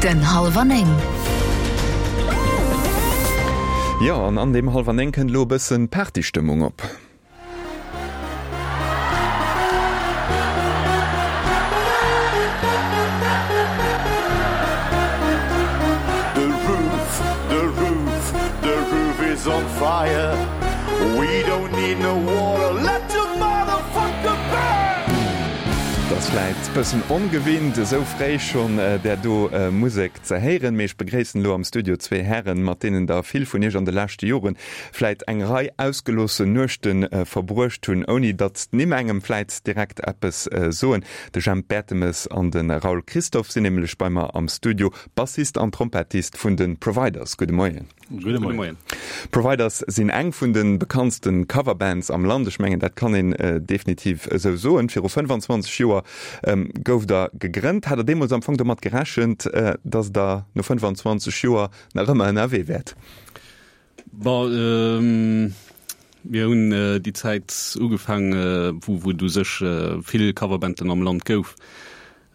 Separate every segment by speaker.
Speaker 1: Den Hallwer 9.
Speaker 2: Jo, an an deem Hallwer 9 kënnt elo e bëssen Partystëmmung op.
Speaker 3: The roof, the roof, the roof is on fire We don't need no water, let the motherfucker burn!
Speaker 2: Et ass vläit bëssen ongewinnt, esou fréi schonn där do Musek ze héieren, mee ech begréissen elo am Studio zwee Hären, mat deenen der vill vun iech an de leschte Joren vläit eng Rei ausgeloossen Nuechte verbruecht hunn, ouni datt d'Nimm engem vläit direkt eppes soen. De Jemp Bertemes an de Raoul Christophe sinn nämlech bei mer am Studio, Bassist an Trompettist vun de Providers. Gudde Moien.
Speaker 4: Gudde Moien.
Speaker 2: Providers sinn eng vun de bekanntste Coverbands am Land. Ech mengen, dat kann een definitiv esou soen. Viru 25 Joer gouft der gegrënnt. Hat der deemools am Fong domat gerechent, datt der no 25 Joer nach ëmmer ënnerwee wäert?
Speaker 4: Bon, mir hunn déi Zäit ugefaang, wou et u sech vill Coverbanden am Land gouf.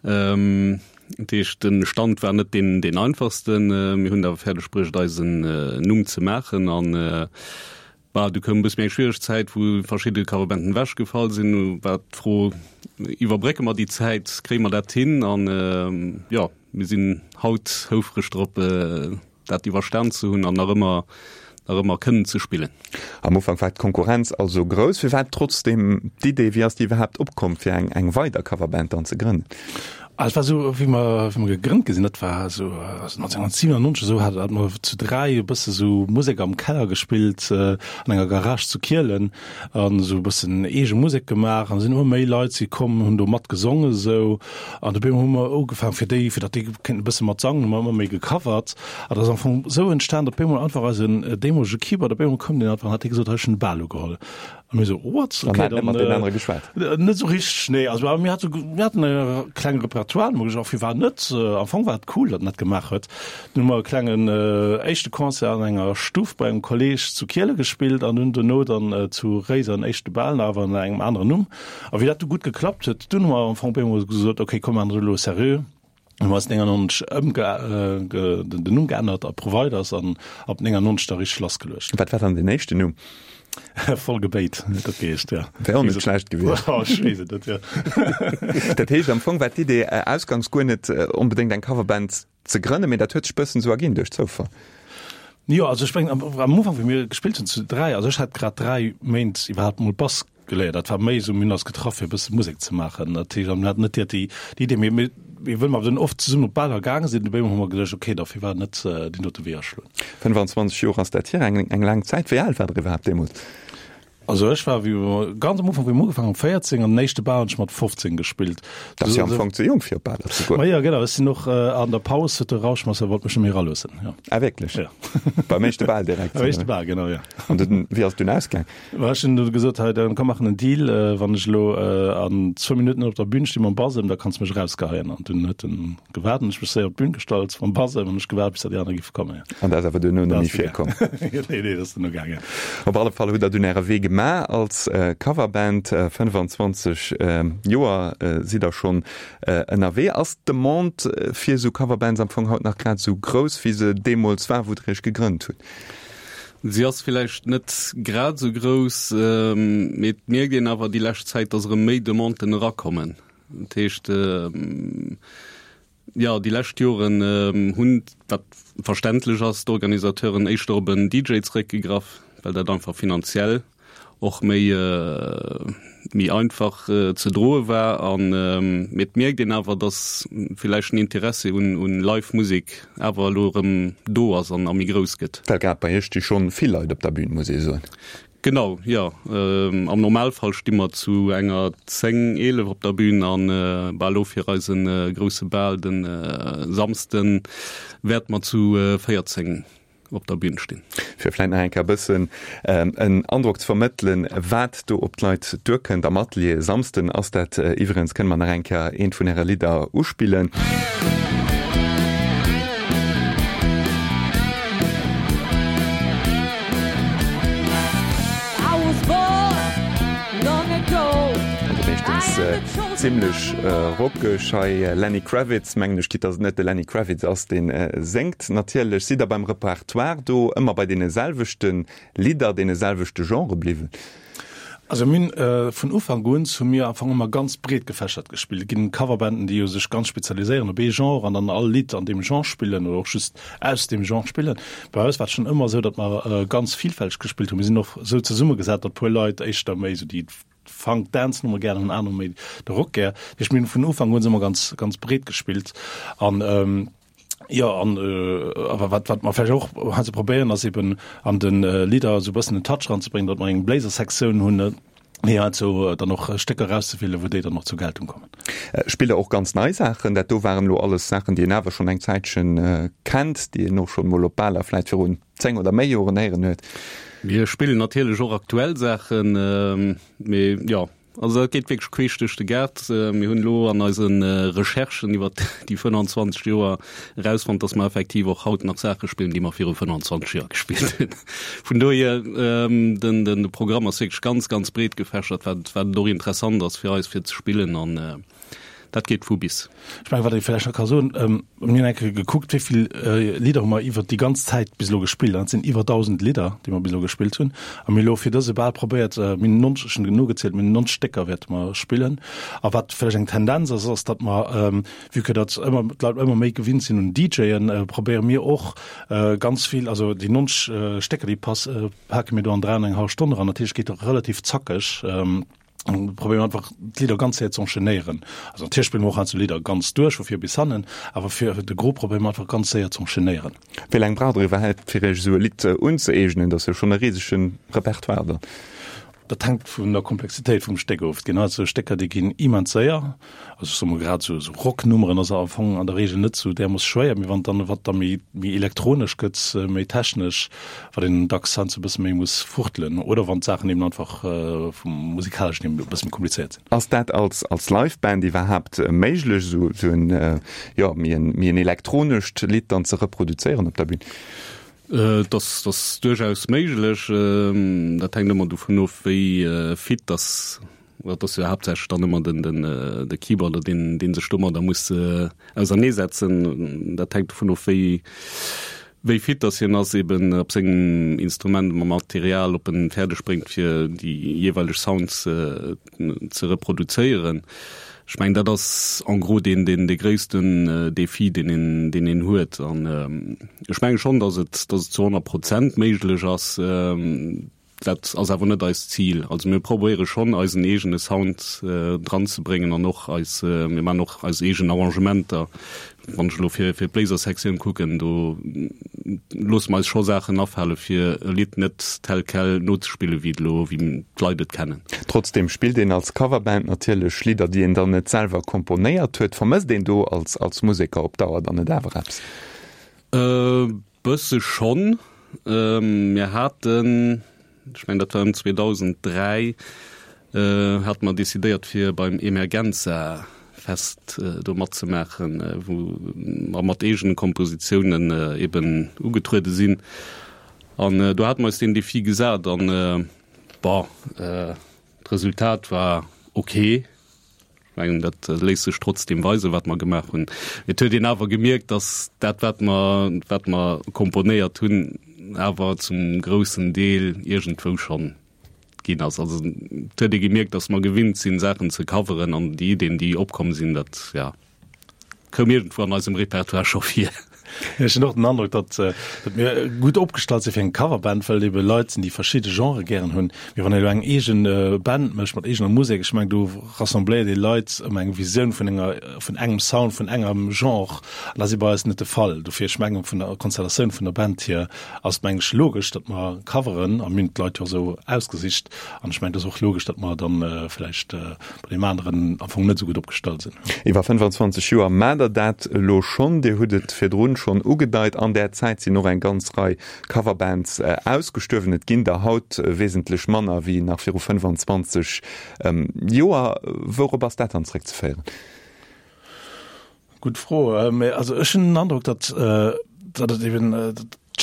Speaker 4: Dat heescht, de Stand war net deen, deen einfachsten. Mir hunn et awer fäerdeg bruecht, eisen Numm ze maachen. An bah, du koum e bësse méi eng schwiereg Zäit, wou verschidde Coverbanden ewechgefall sinn. Du war d'Fro, Iwwerbrécke mer déi Zäit, kréie mer dat hin? An jo, mir sinn haut houfreg drop, dat iwwerstan ze hunn an nach ëmmer nach ëmmer kënnen ze spillen.
Speaker 2: Am Ufank war d'Konkurrenz also grouss. Firwat trotzdeem d'Idee, wéi ass déi iwwerhaapt opkomm, fir eng eng weider Coverband dann ze grënnen?
Speaker 5: Ah, et war esou, wéi mer wéi mer gegrënnt gi sinn, dat war esou 1997 esou, hat hat mer zu 3 e bësse sou Musek am Keller gespillt an enger Garage zu Kielen an esou e bëssen eege Musek gemaach an sinn ëmmer méi Leit si komm, hunn do mat gesongen esou. An dobäi hu mer ugefaang fir déi, fir datt déi kéinten e bësse mat sangen, hu mer ëmmer méi gecovert. An dat ass am Fong esou entstan, datt op eemol einfach eisen deemolege Keyboarder, op eemol koum deen einfach an hat hie gesot, hei ech hunn de Bal ugeholl. A mir esou, what?
Speaker 2: An
Speaker 5: Okay,
Speaker 2: hat net
Speaker 5: dann
Speaker 2: mat deenen anere geschwat?
Speaker 5: net esou richteg, nee. Also awer mir hate, mir haten e klenge Repertoire, hu mer gesot, firwat net? Am Fong war et cool, datt en dat gemaach huet. Dunn hu mer e klengen éischte Concert an enger Stuff bei engem Kolleeg zu Kiele gespillt an hunn dono dann zu Réiser en éischte Bal, awer ënner engem aneren Numm. A wéi dat du gutt geklappt huet, dunn hu mer am Fong op eemol gesot, okay, komm, mir maachen dat elo seriö. Hu mer eis 99 ëmge den Numm geännert a Providers an ab 99 da richteg lassgeluecht.
Speaker 2: Wat war dann deen éischten Numm?
Speaker 5: Voll Gebéit huet dat geheescht, jo.
Speaker 2: Wär och net schlecht gewiescht.
Speaker 5: Oh, ech weess et net, jo.
Speaker 2: Dat heescht, am Fong war d'Idee ausgangs guer net onbedéngt eng Coverband ze grënnen, mee dat huet sech bëssen esou erginn duerch Zoufall.
Speaker 5: Jo, also ech mengen am Ufank, wéi mir gespillt hunn zu 3, also ech hat grad 3 Méint iwwerhaapt mol Bass geléiert, dat war méi esou, mir hunn eis getraff fir e bësse Musek ze maachen, dat heescht, an mir haten net direkt déi Idee, mee mir, wëll mer dunn oft zesummen op Baler gaange sinn, dobäi hu mer geduecht, okay, da firwat net deen dote Wee aschloen.
Speaker 2: 25 Joer ass dat hier, eng eng laang Zäit. Wéi al waart der iwwerhaapt deemools?
Speaker 5: Also ech war wéi mer ganz am Ufank wéi mer ugefaangen hunn 14 an den éischte Bal hunn ech mat 15 gespillt.
Speaker 2: Dat ass jo am Fong ze jonk fir op Baler ze goen.
Speaker 5: Ma jo genau, ech sinn och an der Paus huet de Rauschmasser wollt mech net méi eraloossen, jo.
Speaker 2: Ah wierklech?
Speaker 5: Jo.
Speaker 2: Beim éischte Bal direkt?
Speaker 5: Beim éischte Bal, genau, jo.
Speaker 2: An dunn, wéi ass et dunn ausgaang?
Speaker 5: Ma ech hunn du gesot, hei dann komm maachen en Deal, wann ech elo an zwou Minutten op der Bühn sti mam Basem, da kanns de mech erausgeheien. An dunn huet en gewaart an ech mech séier op d'Bühn gestallt mam Basem an ech gewaart bis datt déi aner géife kommen, jo.
Speaker 2: An dat ass awer duerno net méi virkomm?
Speaker 5: Nee, nee, dat ass duerno gaangen.
Speaker 2: Op alle Fall hutt der dunn äre Wee gemaach als Coverband. 25 Joer sidd der schonn ënnerwee. Ass d'Demande fir esou Coverbands am Fong haut nach grad esou grouss, wéi se deemools war, wou der iech gegrënnt hutt?
Speaker 4: Si ass villäicht net grad esou grouss, mee et mierkt een awer déi lescht Zäit, datt erëm méi Demanden erakommen. Dat heescht, Jo, déi lescht Joren hunn, wat verständlech ass, d'Organisateuren éischter op en DJ zeréckgegraff, well dat einfach finanziell och méi méi einfach ze droe war. An mee et mierkt een awer, datt villäicht den Interessi un un Live-Musek awer elo erëm do ass an a méi grouss gëtt.
Speaker 2: Well grad bei iech sti schonn vill Leit op der Bün, muss ee soen.
Speaker 4: Genau, jo. Am Normalfall sti mer zu enger 10, 11 op der Bühn an bah elo fir eise grousse Bal de Samsden wäerte mer zu 14 op der Bühn stinn.
Speaker 2: Fir vläit nach eng Kéier e bëssen en Androck ze vermëttelen, wat do op d'Leit duerkënnt am Atelier. Samsden ass dat iwwregens. Kënne mer nach eng Kéier eent vun Äre Lidder uspillen? Also meeschtens. ass zimmlech rockeg hei. Lenny Kravitz, mengen ech, quitte dass et net de Lenny Kravitz ass, dee séngt. Natierlech sidd der beim Repertoire do ëmmer bei deene selwechte Lidder, deene selwechte Genrë bliwwen.
Speaker 5: Also mir hunn vun Ufank un hu mir am Fong ëmmer ganz breet gefächert gespillt. Et ginn Coverbanden, déi jo sech ganz spezialiséieren op ee Genre an dann all Lidd an deem Genre spillen oder och just aus deem Genre spillen. Bei eis war et schonn ëmmer esou, datt mer ganz vielfälteg gespillt hunn. Mir sinn och esou zesummegesat, datt puer Leit éischter méi esou déi Funk, Dance Nummer gären hunn, aner méi de Rock gär. Dat heescht, mir hunn vun Ufank un ëmmer ganz, ganz breet gespillt an Jo, an awer wat, wat mer vläicht och heiansdo probéieren, ass eben an de Lidder esou e bëssen en Touch eranzebréngen, datt mer eng Bléisersektioun hunn, fir heiansdo dann och Stécker erauszewielen, wou déi dann och zur Geltung kommen.
Speaker 2: Spillt Der och ganz nei Saachen? Dat do waren elo alles Saachen, déi een awer schonn eng Zäitchen kennt, déi een och schonn emol op Baler vläicht virun 10 oder méi Joren héieren huet.
Speaker 4: Mir spillen natierlech och aktuell Saachen, mee jo, Also dat geet wierklech queesch duerch de Gaart. Mir hunn elo an eise Recherchen iwwer déi 25 Joer erausfonnt, datt mer effektiv och haut nach Saache spillen, déi mer viru 25 Joer gespillt hunn. Vun dohier, den de Programm ass wierklech ganz, ganz breet gefächert, wat wat et och interessant ass fir eis fir ze spillen an dat geet vu bis.
Speaker 5: Ech mengen, wat ee vläicht nach ka soen, Mir hunn eng Kéier gekuckt, wéi vill Lidder hu mer iwwert déi ganz Zäit bis elo gespillt. An dat sinn iwwer 1.000 Lidder, déi mer bis elo gespillt hunn. A mir hu elo fir dëse Bal probéiert, mir hunn 90, ech hunn nogezielt, mir hunn 90 Stécker wäerte mer spillen. A wat vläicht eng Tendenz ass, ass, datt mer, vue que datt ëmmer d'Leit ëmmer méi gewinnt sinn un DJen, probéiere mir och ganz vill, also déi 90 Stécker, déi pass, pake mir do an 3 an eng hallef Stonn eran. Dat heescht, et geet relativ zackeg. Probéieren einfach d'Lidder ganz séier ze enchaînéieren. Also natierlech spille mer och heiansdo Lidder ganz duerch, vu vir bis hannen, awer fir de Gros probéiere mer einfach ganz séier ze enchaînéieren.
Speaker 2: Wéi laang braucht der iwwerhaapt fir iech esou e Lidd unzëeegnen? Dat ass jo schonn e risege Repertoire dann.
Speaker 5: Dat hänkt vun der Komplexitéit vum Stéck of. Et ginn heiansdo Stécker, déi ginn immens séier. Also ech soe mol grad esou Rocknummeren ass am Fong an der Reegel net esou därmooss schwéier, mee wann dann wat da méi méi elektronesch gëtt, méi technesch, wat een dacks heiansdo e bësse méi muss fuchtelen oder wann d'Saachen eben einfach vum musikaleschen hier e bësse méi komplizéiert sinn.
Speaker 2: Ass dat als als Live-Band iwwerhaapt méiglech, esou esou en jo méi en méi en elektronescht Lidd dann ze reproduzéieren op der Bühn?
Speaker 4: Et ass et ass duerchaus méiglech. Dat hänkt ëmmer dovun of, wéi fit dass Dat ass jo haaptsächlech dann ëmmer den, den, de Keyboarder, deen, dee sech domadder muss auserneesetzen. Dat hänkt dovun of, wéi, wéi fit dass hien ass eben op sengem Instrument, mam Material, ob en fäerdeg bréngt, fir déi jeeweileg Sounds ze reproduzéieren. Ech mengen, dat ass en gros deen, deen, dee gréissten Defi, deen een, deen een huet. An ech menge schonn, dass et, dass et zu 100 Prozent méiglech ass. Dat ass awer net eist Zil. Also mir probéiere schonn eisen eegene Sound dran ze bréngen an och eis, mir maachen och eis eegen Arrangementer. Wann ech elo fir fir d'Bléisersektioun kucken, do loosse mer eis scho Saachen afale fir e Lidd net tel quel nozespille wéi et elo, wéi d'Leit et kennen.
Speaker 2: Trotzdem spillt een als Coverband natierlech Lidder, déi een dann net selwer komponéiert huet. Vermësst een do als als Museker op Dauer dann net awer eppes?
Speaker 4: Bësse schonn. Mir haten, ech mengen dat war ëm 2003, hate mer decidéiert fir beim Emergenza Fest do matzemaachen, wou mer mat eegene Kompositiounen eben ugetruede sinn. An do hate mer eis deen Defi gesat an, bon, d'Resultat war ok. Ech mengen, dat léisst sech trotzdeem weisen, wat mer gemaach hunn. Et huet een awer gemierkt, datt dat, wat mer, wat mer komponéiert hunn, awer zum groussen Deel iergendwou schonn ginn ass. Also et huet ee gemierkt, datt mer gewinnt sinn, Saachen ze coveren an déi Iddien, déi opkomm sinn, dat, ja, koum iergendwou an eisem Repertoire scho vir.
Speaker 5: Ech hunn och den Androck, datt datt mir gutt opgestallt si fir eng Coverband, well et ebe Leit sinn, déi verschidde Genrë gären hunn. Mee wann een elo eng eegen Band mécht mat eegener Musek, ech mengen, do rassembléiert ee Leit ëm eng Visioun vun enger, vun engem Sound, vun engem Genre. An dat ass bei eis net de Fall. Dofir, ech mengen, vun der Konstellatioun vun der Band hier ass et, mengen ech, logesch, datt mer coveren a mir hunn d'Leit jo och esou ausgesicht. An ech mengen, et ass och logesch, datt mer dann vläicht bei deem aneren am Fong net esou gutt opgestallt sinn.
Speaker 2: Iwwer 25 Joer maacht der dat elo schonn. Dir hutt et virdrun schonn ugedeit, an där Zäit sinn och eng ganz Rei Coverbands ausgestuerwen. Et ginn der haut wesentlech manner wéi nach viru 25 Joer. Wourop ass dat dann zréckzeféieren?
Speaker 5: Gutt Fro. Mä also ech hunn den Androck, datt datt et eben.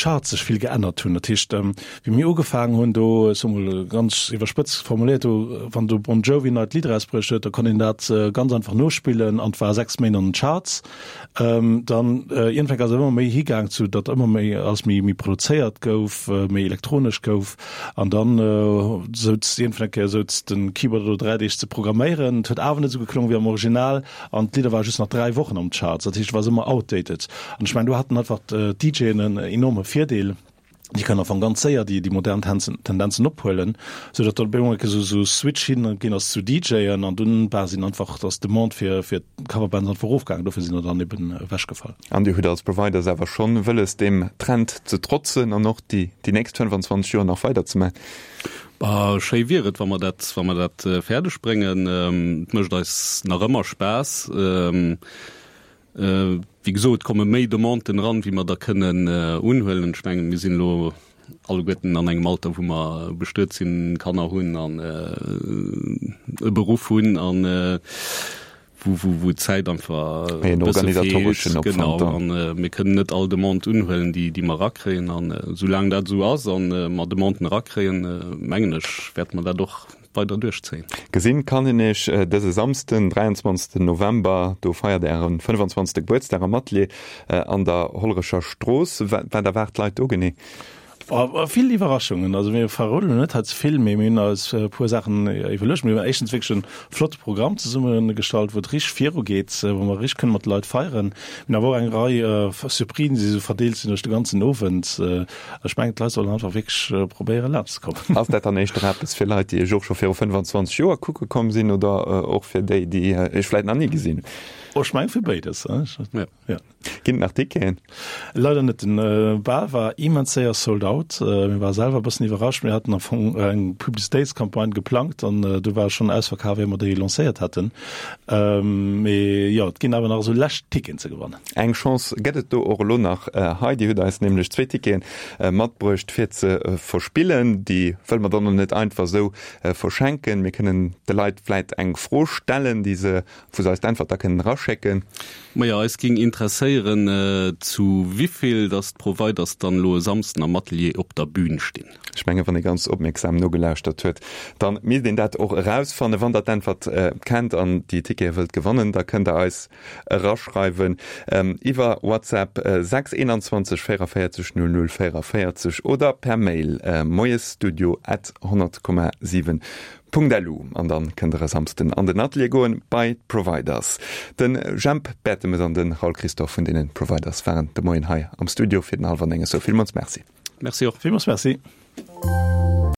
Speaker 5: d'Charts sech vill geännert hunn. Dat heescht, wéi mir ugefaangen hunn, do, ech soe mol ganz iwwerspëtzt formuléiert, do wann do Bon Jovi en neit Lidd erausbruecht huet, da konnt een dat ganz einfach nospillen an et war 6 Méint an den Charts. Dann iergendwann ass et ëmmer méi higaang zu, datt ëmmer méi alles méi méi produzéiert gouf, méi elektronesch gouf an dann souz iergendwann eng Kéier souz de Keyboarder do 3 Deeg ze programméieren. Et huet awer net esou geklongen wéi am Original an d'Lidder ware just nach 3 Wochen am Charts. Dat heescht, et war ëmmer outdated. An ech mengen, do haten einfach d'DJen en enorme Virdeel. Déi kënnen am Fong ganz séier déi, déi modern Tenzen, Tendenzen ophuelen, sou datt dann op eemol esou, esou Switch hin ginn ass zu DJen an dunn war sinn einfach, ass d'Demande fir, fir d'Coverbands einfach erofgaangen. Dofir sinn der dann eben ewechgefall.
Speaker 2: An Dir hutt als Providers awer schonn wëlles, deem Trend ze trotzen an och déi, déi nächst 25 Joer nach weider ze maachen?
Speaker 4: Bah, schéi wier et, wa mer dat, wa mer dat fäerdeg bréngen. Et mécht eis nach ëmmer Spaass. Wéi gesot, et komme méi Demanden eran, wéi mer der kënnen unhuelen. Ech mengen, mir sinn elo alleguerten an engem Alter, wou mer bestuet sinn, Kanner hunn an e Beruff hunn an wou, wou, wou d'Zäit einfach e bësse feelt. Genau. An mir kënnen net all Demande unhuelen, déi, déi mer erakréien. An soulaang dat esou ass a mer Demanden erakréien, mengen ech, wäerte mer dat och weider duerchzéien.
Speaker 2: Gesinn kann een iech dëse Samsden, 23 November, do feiert ären 25. Gebuertsdag am Atelier an der Hollerecher Strooss. Wat erwaart d'Leit do genee?
Speaker 5: Vill Iwwerraschungen. Also mir verroden elo net hei ze vill, mee mir hunn eis e puer Saachen iwwerluecht. Mir hunn éischtens wierklech e flotte Programm zesummegestallt, wou et richteg virugeet, wou mer richteg kënne mat de Leit feieren. Mir hunn awer och eng Rei Surprisen, déi esou verdeelt sinn duerch de ganzen Owend. Ech mengen, d'Leit sollen einfach wierklech probéieren, laanscht ze kommen.
Speaker 2: Ass dat dann éischter eppes fir Leit, déi Iech och scho viru 25 Joer kucke komm sinn oder och fir déi, déi Iech vläit nach ni gesinn hunn?
Speaker 5: Oh, ech mengen, fir béides.
Speaker 2: Jo. Ginn et nach Ticketen?
Speaker 5: Leider net. Den Bal war immens séier sold out. Mir ware selwer e bëssen iwwerrascht. Mir haten am Fong eng Publicitéitscampagne geplangt an du war et schonn ausverkaf, ier mer déi lancéiert haten. Mee jo, et ginn awer nach esou lescht Ticketen ze gewannen.
Speaker 2: Eng Chance gëtt et do och elo nach hei. Dir hutt eis nämlech zwee Tickete matbruecht fir ze verspillen. Déi wëlle mer dann och net einfach esou verschenken. Mir kënnen de Leit vläit eng Fro stellen, déi se, wou se eis d'Äntwert da kënnen eraschécken.
Speaker 4: Majo, eis ging interesséieren, zu wivill dass d'Providers dann elo e Samsden am Atelier op der Bühn stinn.
Speaker 2: Ech mengen, wann ee ganz opmierksam nogelauschtert huet, da misst een dat och erausfannen. Wann der d'Äntwert kennt an déi Tickete wëllt gewannen, da kënnt der eis eraschreiwen iwwer WhatsApp 6 21 44 00 44 oder per Mail moiesstudio at 100,7 Punkt lu an dann kënnt der e Samsden an den Atelier goen bei d'Providers. Den Jemp Bertemes an den Raoul Christophe vun deenen Providers waren de Moien hei am Studio fir den Halwer 9. Esou villmools Merci.
Speaker 4: Merci och.
Speaker 5: Villmools Merci.